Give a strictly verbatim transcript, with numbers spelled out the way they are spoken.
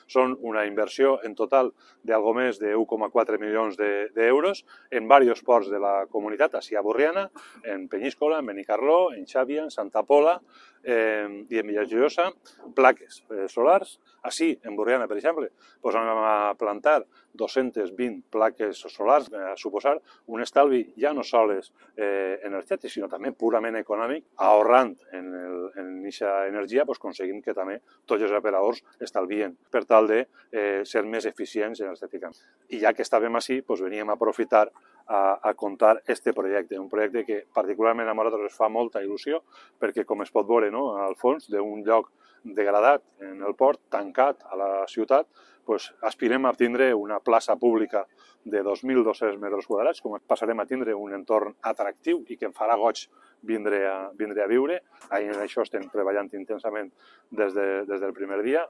Són una inversió en total d'algo més de un coma quatre milions d'euros en diversos ports de la comunitat, així a Borriana, en Penyíscola, en Benicarló, en Xàbia, en Santa Pola eh, i en Villajoiosa, plaques eh, solars. Així, en Borriana, per exemple, doncs anem a plantar dos-centes vint plaques solars, a suposar un estalvi ja no sols eh, energètic, sinó també purament econòmic, ahorrant en aquesta energia, doncs aconseguim que també tots els operadors estalvien per tal de eh, ser més eficients energèticament. I ja que estàvem així, doncs veníem a aprofitar a, a contar este projecte, un projecte que particularment a nosaltres ens fa molta il·lusió, perquè com es pot veure, no, al fons d'un lloc degradat en el port, tancat a la ciutat, pues, aspirem a tindre una plaça pública de dos mil dos-cents metres quadrats, com passarem a tindre un entorn atractiu i que em farà goig vindre a, vindre a viure. En això estem treballant intensament des, de, des del primer dia.